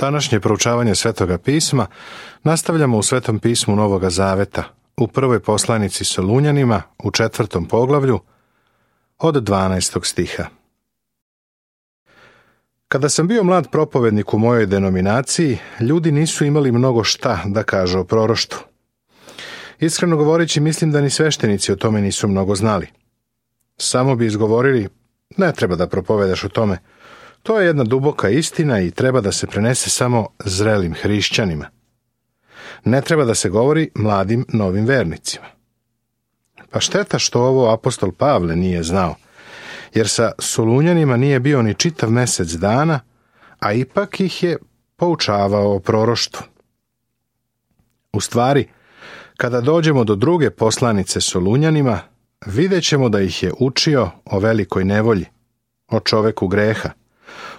Današnje proučavanje Svetoga pisma nastavljamo u Svetom pismu Novoga Zaveta, u prvoj poslanici Solunjanima, u 4. poglavlju, od 12. stiha. Kada sam bio mlad propovednik u mojoj denominaciji, ljudi nisu imali mnogo šta da kažu o proroštvu. Iskreno govoreći, mislim da ni sveštenici o tome nisu mnogo znali. Samo bi izgovorili, ne treba da propovedaš o tome. To je jedna duboka istina i treba da se prenese samo zrelim hrišćanima. Ne treba da se govori mladim novim vernicima. Pa šteta što ovo apostol Pavle nije znao, jer sa Solunjanima nije bio ni čitav mesec dana, a ipak ih je poučavao o proroštvu. U stvari, kada dođemo do druge poslanice Solunjanima, vidjet ćemo da ih je učio o velikoj nevolji, o čoveku greha,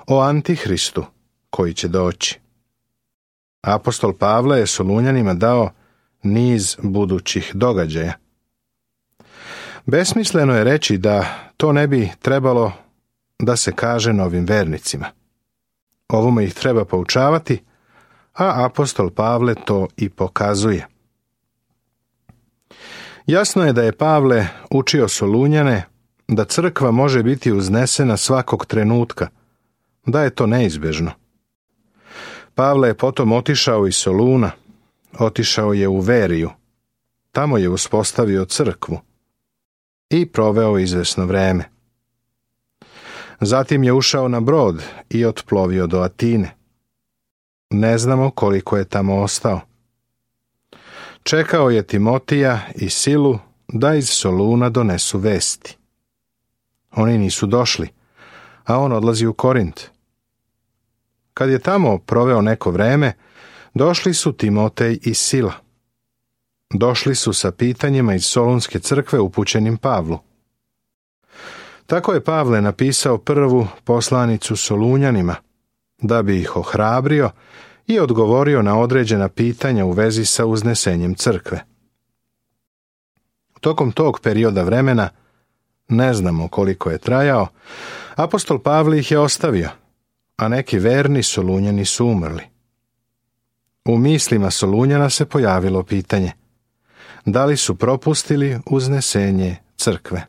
o Antihristu koji će doći. Apostol Pavle je Solunjanima dao niz budućih događaja. Besmisleno je reći da to ne bi trebalo da se kaže novim vernicima. Ovome ih treba poučavati, a apostol Pavle to i pokazuje. Jasno je da je Pavle učio Solunjane da crkva može biti uznesena svakog trenutka, da je to neizbežno. Pavle je potom otišao iz Soluna, otišao je u Veriju, tamo je uspostavio crkvu i proveo izvesno vreme. Zatim je ušao na brod i otplovio do Atine. Ne znamo koliko je tamo ostao. Čekao je Timotija i Silu da iz Soluna donesu vesti. Oni nisu došli, a on odlazi u Korint. Kad je tamo proveo neko vreme, došli su Timotej i Sila. Došli su sa pitanjima iz Solunske crkve upućenim Pavlu. Tako je Pavle napisao prvu poslanicu Solunjanima, da bi ih ohrabrio i odgovorio na određena pitanja u vezi sa uznesenjem crkve. Tokom tog perioda vremena, ne znamo koliko je trajao, apostol Pavle ih je ostavio, a neki verni Solunjani su umrli. U mislima Solunjana se pojavilo pitanje: da li su propustili uznesenje crkve?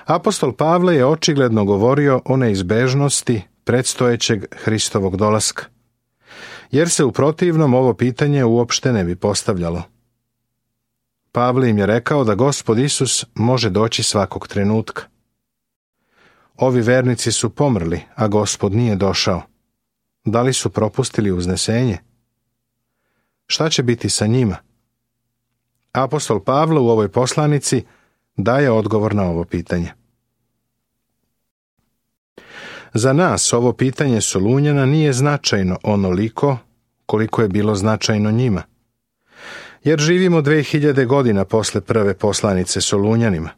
Apostol Pavle je očigledno govorio o neizbežnosti predstojećeg Hristovog dolaska, jer se u protivnom ovo pitanje uopšte ne bi postavljalo. Pavle im je rekao da Gospod Isus može doći svakog trenutka. Ovi vernici su pomrli, a Gospod nije došao. Da li su propustili uznesenje? Šta će biti sa njima? Apostol Pavle u ovoj poslanici daje odgovor na ovo pitanje. Za nas ovo pitanje Solunjana nije značajno onoliko koliko je bilo značajno njima, jer živimo 2000 godina posle prve poslanice Solunjanima,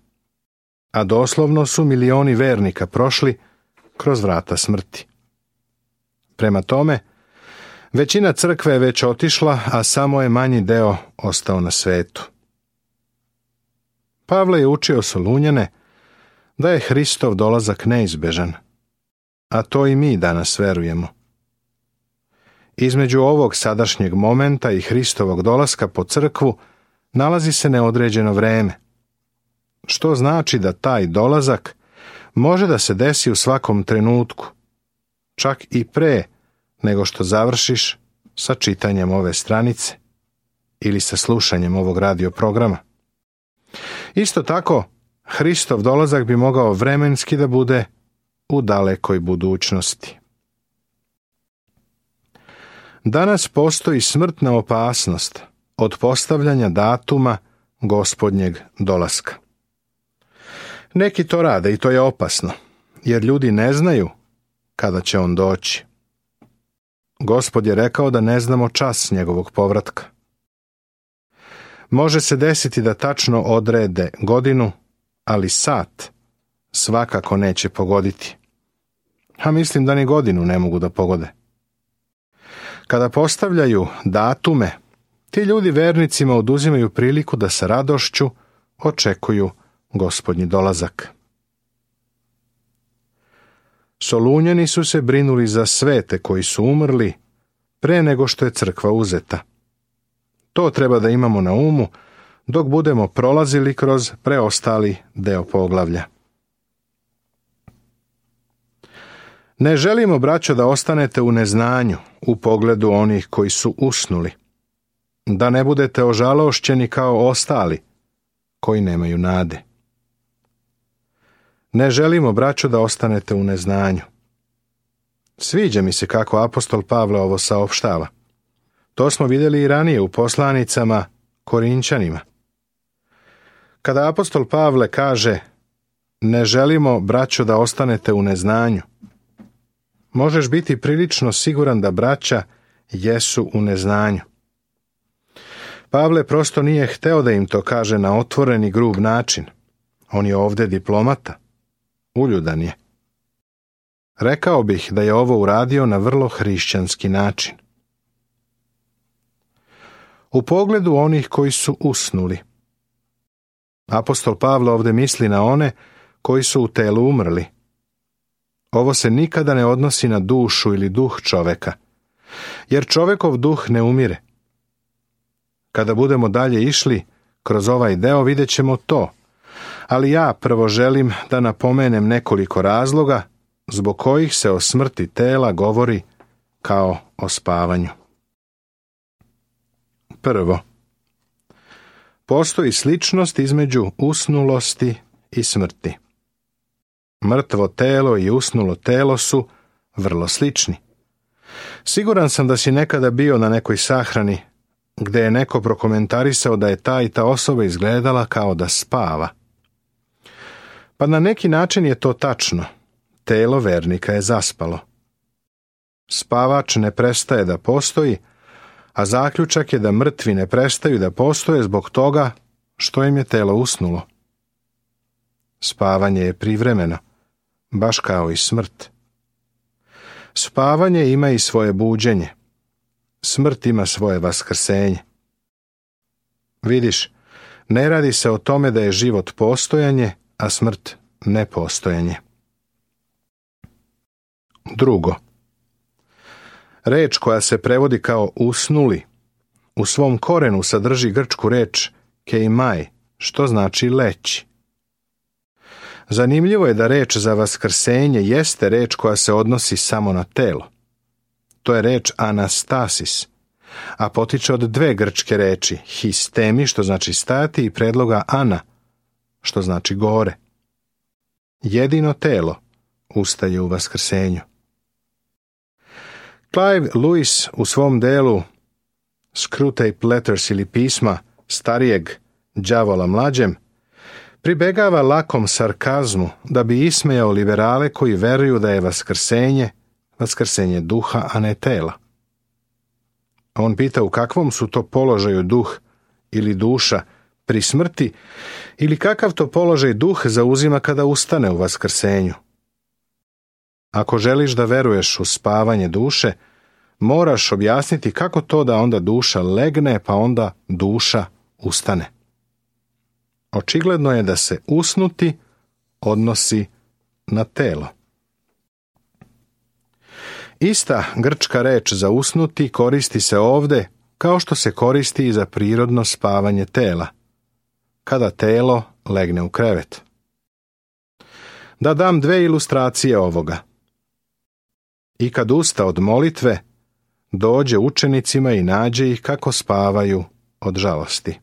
a doslovno su milioni vernika prošli kroz vrata smrti. Prema tome, većina crkve je već otišla, a samo je manji deo ostao na svetu. Pavle je učio Solunjane da je Hristov dolazak neizbežan, a to i mi danas verujemo. Između ovog sadašnjeg momenta i Hristovog dolaska po crkvu nalazi se neodređeno vreme, što znači da taj dolazak može da se desi u svakom trenutku, čak i pre nego što završiš sa čitanjem ove stranice ili sa slušanjem ovog radio programa. Isto tako, Hristov dolazak bi mogao vremenski da bude u dalekoj budućnosti. Danas postoji smrtna opasnost od postavljanja datuma Gospodnjeg dolaska. Neki to rade i to je opasno, jer ljudi ne znaju kada će on doći. Gospod je rekao da ne znamo čas njegovog povratka. Može se desiti da tačno odrede godinu, ali sat svakako neće pogoditi. A mislim da ni godinu ne mogu da pogode. Kada postavljaju datume, ti ljudi vernicima oduzimaju priliku da sa radošću očekuju Gospodnji dolazak. Solunjani su se brinuli za svete koji su umrli pre nego što je crkva uzeta. To treba da imamo na umu dok budemo prolazili kroz preostali deo poglavlja. Ne želimo, braćo, da ostanete u neznanju u pogledu onih koji su usnuli, da ne budete ožalošćeni kao ostali koji nemaju nade. Ne želimo, braćo, da ostanete u neznanju. Sviđa mi se kako apostol Pavle ovo saopštava. To smo vidjeli i ranije u poslanicama Korinćanima. Kada apostol Pavle kaže ne želimo, braćo, da ostanete u neznanju, možeš biti prilično siguran da braća jesu u neznanju. Pavle prosto nije hteo da im to kaže na otvoren i grub način. On je ovdje diplomata. Uljudan je. Rekao bih da je ovo uradio na vrlo hrišćanski način. U pogledu onih koji su usnuli. Apostol Pavle ovdje misli na one koji su u telu umrli. Ovo se nikada ne odnosi na dušu ili duh čoveka, jer čovekov duh ne umire. Kada budemo dalje išli kroz ovaj deo vidjet ćemo to, ali ja prvo želim da napomenem nekoliko razloga zbog kojih se o smrti tela govori kao o spavanju. Prvo, postoji sličnost između usnulosti i smrti. Mrtvo telo i usnulo telo su vrlo slični. Siguran sam da si nekada bio na nekoj sahrani gde je neko prokomentarisao da je ta i ta osoba izgledala kao da spava. Pa na neki način je to tačno. Telo vernika je zaspalo. Spavač ne prestaje da postoji, a zaključak je da mrtvi ne prestaju da postoje zbog toga što im je telo usnulo. Spavanje je privremeno, baš kao i smrt. Spavanje ima i svoje buđenje. Smrt ima svoje vaskrsenje. Vidiš, ne radi se o tome da je život postojanje, a smrt nepostojanje. Drugo, reč koja se prevodi kao usnuli, u svom korenu sadrži grčku reč keimai, što znači leći. Zanimljivo je da reč za vaskrsenje jeste reč koja se odnosi samo na telo. To je reč anastasis, a potiče od dve grčke reči, histemi, što znači stajati, i predloga ana, što znači gore. Jedino telo ustaje u vaskrsenju. Clive Lewis u svom delu Screwtape Letters ili pisma starijeg đavola mlađem pribegava lakom sarkazmu da bi ismejao liberale koji veruju da je vaskrsenje duha, a ne tela. On pita u kakvom su to položaju duh ili duša pri smrti ili kakav to položaj duh zauzima kada ustane u vaskrsenju. Ako želiš da veruješ u spavanje duše, moraš objasniti kako to da onda duša legne pa onda duša ustane. Očigledno je da se usnuti odnosi na telo. Ista grčka reč za usnuti koristi se ovdje kao što se koristi i za prirodno spavanje tela, kada telo legne u krevet. Da dam dve ilustracije ovoga. I kad usta od molitve, dođe učenicima i nađe ih kako spavaju od žalosti.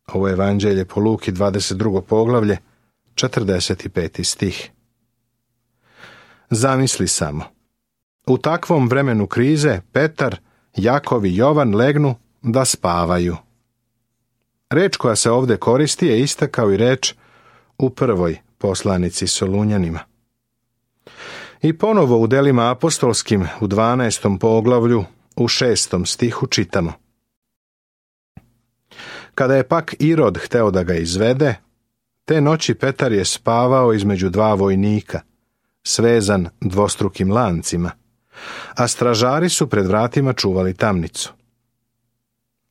Ovo je Evanđelje po Luki 22. poglavlje, 45. stih. Zamisli samo. U takvom vremenu krize Petar, Jakov i Jovan legnu da spavaju. Reč koja se ovdje koristi je ista kao i reč u prvoj poslanici Solunjanima. I ponovo u delima apostolskim u 12. poglavlju u 6. stihu čitamo. Kada je pak Irod hteo da ga izvede, te noći Petar je spavao između dva vojnika, svezan dvostrukim lancima, a stražari su pred vratima čuvali tamnicu.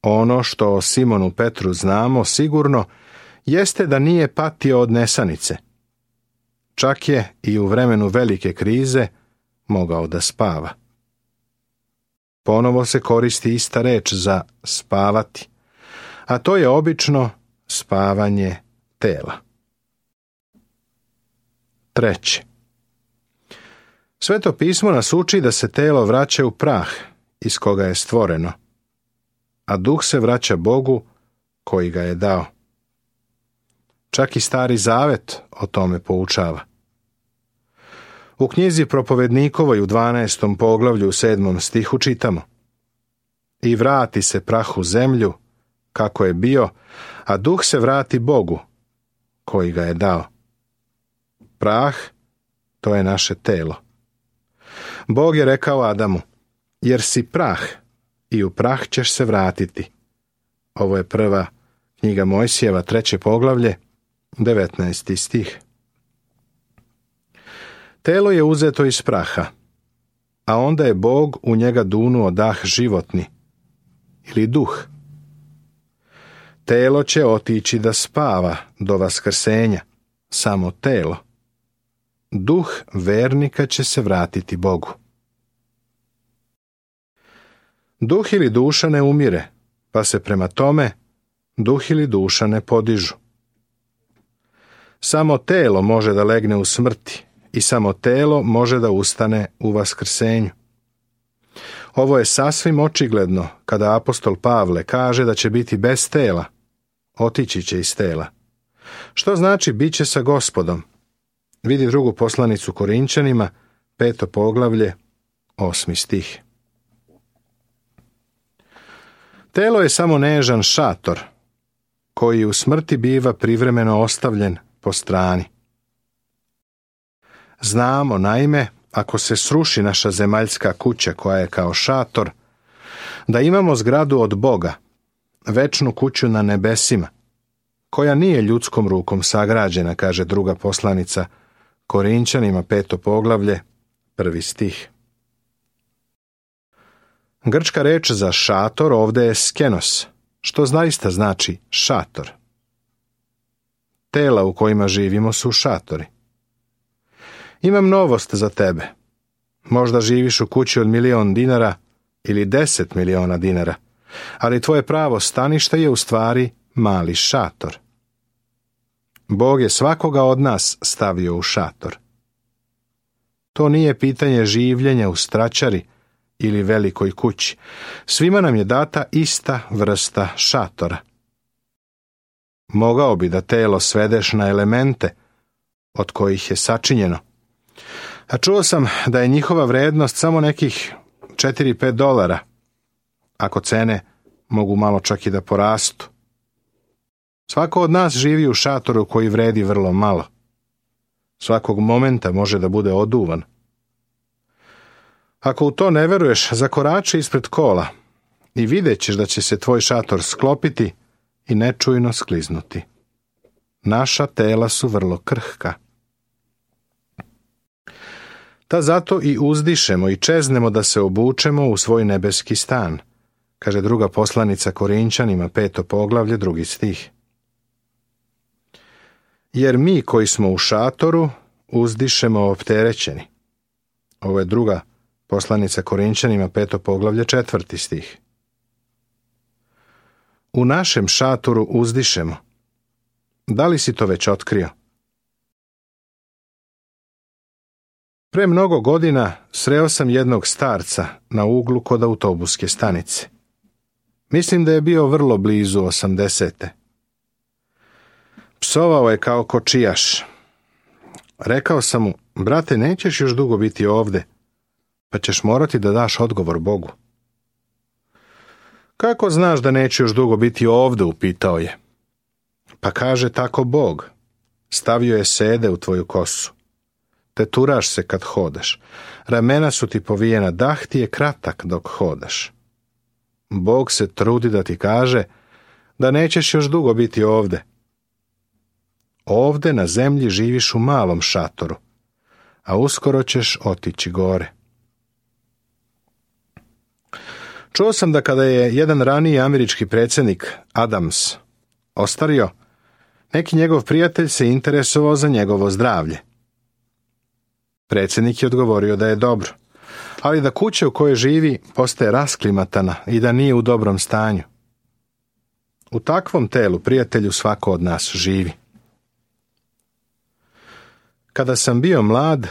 Ono što o Simonu Petru znamo sigurno jeste da nije patio od nesanice. čak je i u vremenu velike krize mogao da spava. Ponovo se koristi ista reč za spavati, a to je obično spavanje tela. 3. Sveto pismo nas uči da se telo vraća u prah iz koga je stvoreno, a duh se vraća Bogu koji ga je dao. Čak i Stari Zavet o tome poučava. U knjizi Propovednikovoj u 12. poglavlju u 7. stihu čitamo: I vrati se prah u zemlju kako je bio, a duh se vrati Bogu koji ga je dao. Prah, to je naše telo. Bog je rekao Adamu: jer si prah i u prah ćeš se vratiti. Ovo je prva knjiga Mojsijeva, 3. poglavlje, 19. stih. Telo je uzeto iz praha, a onda je Bog u njega dunuo dah životni, ili duh. Telo će otići da spava do vaskrsenja, samo telo. Duh vernika će se vratiti Bogu. Duh ili duša ne umire, pa se prema tome duh ili duša ne podižu. Samo telo može da legne u smrti i samo telo može da ustane u vaskrsenju. Ovo je sasvim očigledno kada apostol Pavle kaže da će biti bez tela, otići će iz tela. Što znači bit će sa Gospodom? Vidi drugu poslanicu Korinčanima, 5. poglavlje, 8. stih. Telo je samo nežan šator, koji u smrti biva privremeno ostavljen po strani. Znamo, naime, ako se sruši naša zemaljska kuća koja je kao šator, da imamo zgradu od Boga, večnu kuću na nebesima, koja nije ljudskom rukom sagrađena, kaže druga poslanica Korinčanima, 5. poglavlje, 1. stih. Grčka reč za šator ovdje je skenos, što zaista znači šator. Tela u kojima živimo su šatori. Imam novost za tebe. Možda živiš u kući od 1.000.000 dinara ili 10 miliona dinara, ali tvoje pravo stanište je u stvari mali šator. Bog je svakoga od nas stavio u šator. To nije pitanje življenja u straćari ili velikoj kući. Svima nam je data ista vrsta šatora. Mogao bi da telo svedeš na elemente od kojih je sačinjeno. A čuo sam da je njihova vrednost samo nekih $4-5, ako cene mogu malo čak i da porastu. Svako od nas živi u šatoru koji vredi vrlo malo. Svakog momenta može da bude oduvan. Ako u to ne veruješ, zakorači ispred kola i vidjet ćeš da će se tvoj šator sklopiti i nečujno skliznuti. Naša tela su vrlo krhka. Ta zato i uzdišemo i čeznemo da se obučemo u svoj nebeski stan, kaže druga poslanica Korinčanima, 5. poglavlje, 2. stih. Jer mi koji smo u šatoru uzdišemo opterećeni. Ovo je druga poslanica Korinčanima, 5. poglavlje, 4. stih. U našem šatoru uzdišemo. Da li si to već otkrio? Pre mnogo godina sreo sam jednog starca na uglu kod autobuske stanice. Mislim da je bio vrlo blizu 80. Psovao je kao kočijaš. Rekao sam mu: brate, nećeš još dugo biti ovde, pa ćeš morati da daš odgovor Bogu. Kako znaš da neću još dugo biti ovde, upitao je. Pa kaže tako Bog, stavio je sede u tvoju kosu. Teturaš se kad hodaš, ramena su ti povijena, dah ti je kratak dok hodaš. Bog se trudi da ti kaže da nećeš još dugo biti ovde. Ovde na zemlji živiš u malom šatoru, a uskoro ćeš otići gore. Čuo sam da kada je jedan raniji američki predsjednik Adams ostario, neki njegov prijatelj se interesovao za njegovo zdravlje. Predsjednik je odgovorio da je dobro, ali da kuća u kojoj živi postaje rasklimatana i da nije u dobrom stanju. U takvom telu, prijatelju, svako od nas živi. Kada sam bio mlad,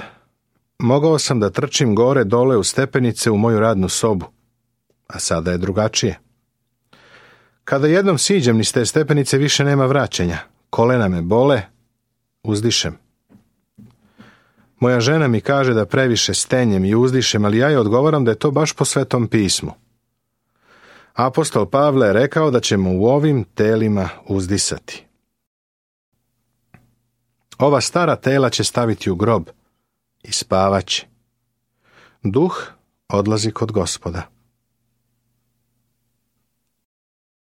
mogao sam da trčim gore dole u stepenice u moju radnu sobu, a sada je drugačije. Kada jednom siđem niz te stepenice, više nema vraćanja. Kolena me bole, uzdišem. Moja žena mi kaže da previše stenjem i uzdišem, ali ja joj odgovaram da je to baš po Svetom pismu. Apostol Pavle je rekao da ćemo u ovim telima uzdisati. Ova stara tela će staviti u grob i spavaće. Duh odlazi kod Gospoda.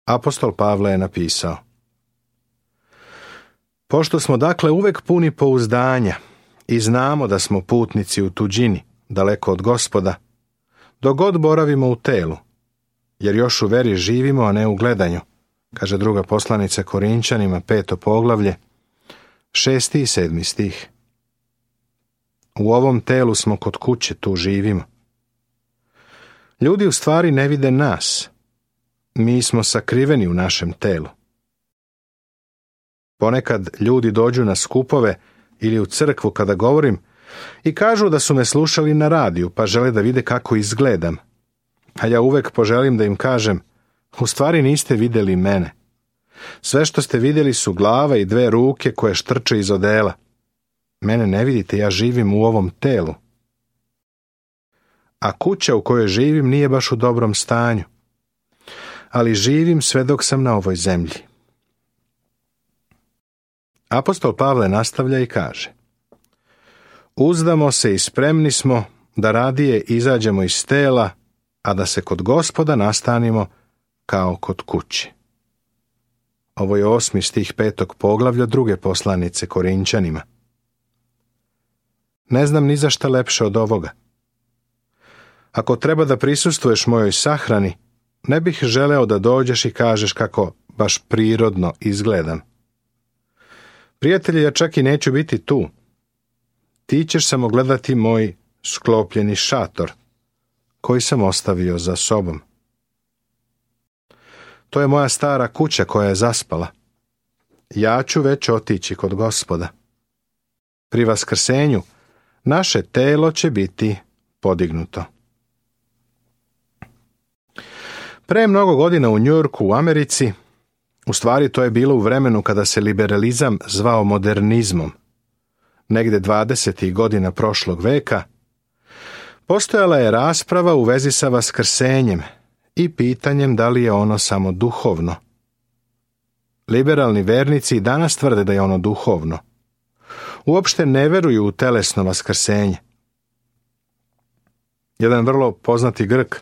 Apostol Pavle je napisao: Pošto smo dakle uvek puni pouzdanja i znamo da smo putnici u tuđini, daleko od Gospoda, dok god boravimo u telu, jer još u veri živimo, a ne u gledanju, kaže druga poslanica Korinčanima, 5. poglavlje, 6. i 7. stih. U ovom telu smo kod kuće, tu živimo. Ljudi u stvari ne vide nas. Mi smo sakriveni u našem telu. Ponekad ljudi dođu na skupove ili u crkvu kada govorim i kažu da su me slušali na radiju, pa žele da vide kako izgledam. A ja uvek poželim da im kažem: u stvari niste vidjeli mene. Sve što ste vidjeli su glava i 2 ruke koje štrče iz odela. Mene ne vidite, ja živim u ovom telu. A kuća u kojoj živim nije baš u dobrom stanju. Ali živim sve dok sam na ovoj zemlji. Apostol Pavle nastavlja i kaže: Uzdamo se i spremni smo da radije izađemo iz tela, a da se kod Gospoda nastanimo kao kod kuće. Ovo je 8. stih 5. poglavlja druge poslanice Korinčanima. Ne znam ni za šta lepše od ovoga. Ako treba da prisustvuješ mojoj sahrani, ne bih želeo da dođeš i kažeš kako baš prirodno izgledam. Prijatelji, ja čak i neću biti tu. Ti ćeš samo gledati moj sklopljeni šator, koji sam ostavio za sobom. To je moja stara kuća koja je zaspala. Ja ću već otići kod Gospoda. Pri vaskrsenju naše telo će biti podignuto. Pre mnogo godina u Njujorku u Americi, u stvari to je bilo u vremenu kada se liberalizam zvao modernizmom, negde 20. godina prošlog veka, postojala je rasprava u vezi sa vaskrsenjem i pitanjem da li je ono samo duhovno. Liberalni vernici i danas tvrde da je ono duhovno. Uopšte ne veruju u telesno vaskrsenje. Jedan vrlo poznati Grk,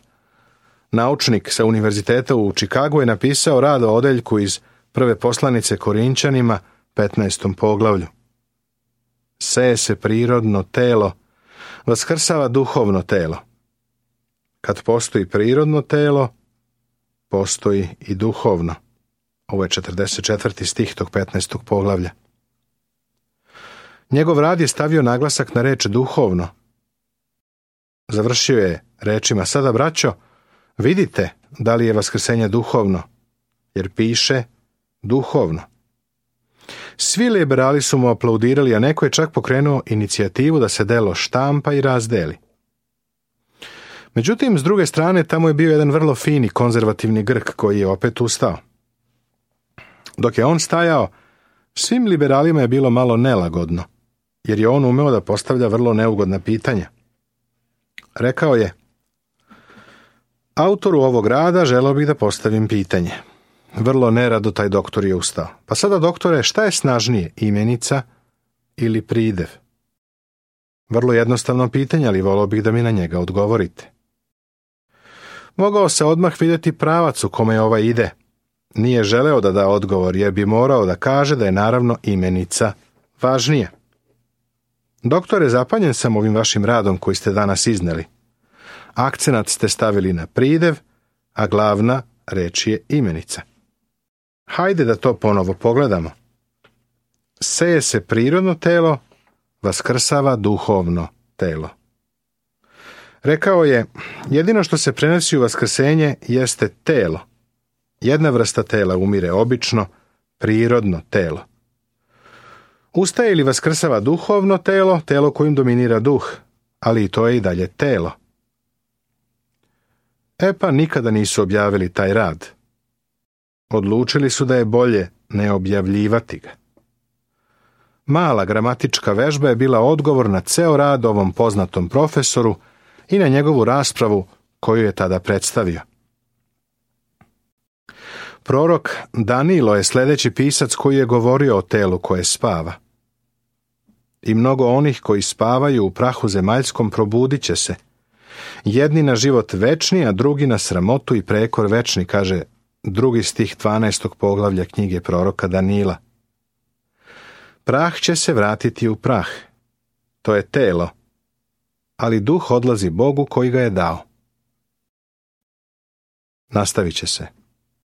naučnik sa univerziteta u Čikagu, je napisao rad o odeljku iz prve poslanice Korinčanima, 15. poglavlju. Seje se prirodno telo, vaskrsava duhovno telo. Kad postoji prirodno telo, postoji i duhovno. Ovo je 44. stih tog 15. poglavlja. Njegov rad je stavio naglasak na reč duhovno. Završio je rečima: sada, braćo, vidite da li je vaskrsenje duhovno, jer piše duhovno. Svi liberali su mu aplaudirali, a neko je čak pokrenuo inicijativu da se delo štampa i razdeli. Međutim, s druge strane, tamo je bio jedan vrlo fini konzervativni Grk koji je opet ustao. Dok je on stajao, svim liberalima je bilo malo nelagodno, jer je on umeo da postavlja vrlo neugodna pitanja. Rekao je: autoru ovog rada želeo bih da postavim pitanje. Vrlo nerado taj doktor je ustao. Pa sada, doktore, šta je snažnije, imenica ili pridev? Vrlo jednostavno pitanje, ali volio bih da mi na njega odgovorite. Mogao se odmah vidjeti pravac u kome ovaj ide. Nije želeo da da odgovor, jer bi morao da kaže da je naravno imenica važnije. Doktore, zapanjen sam ovim vašim radom koji ste danas izneli. Akcenat ste stavili na pridev, a glavna reč je imenica. Hajde da to ponovo pogledamo. Seje se prirodno telo, vaskrsava duhovno telo. Rekao je, jedino što se prenosi u vaskrsenje jeste telo. Jedna vrsta tela umire obično, prirodno telo. Ustaje ili vaskrsava duhovno telo, telo kojim dominira duh, ali i to je i dalje telo. Pa nikada nisu objavili taj rad. Odlučili su da je bolje ne objavljivati ga. Mala gramatička vežba je bila odgovor na ceo rad ovom poznatom profesoru i na njegovu raspravu koju je tada predstavio. Prorok Danilo je sljedeći pisac koji je govorio o telu koje spava. I mnogo onih koji spavaju u prahu zemaljskom probudit će se. Jedni na život večni, a drugi na sramotu i prekor večni, kaže 2. stih 12. poglavlja knjige proroka Danila. Prah će se vratiti u prah. To je telo, ali duh odlazi Bogu koji ga je dao. Nastavit će se.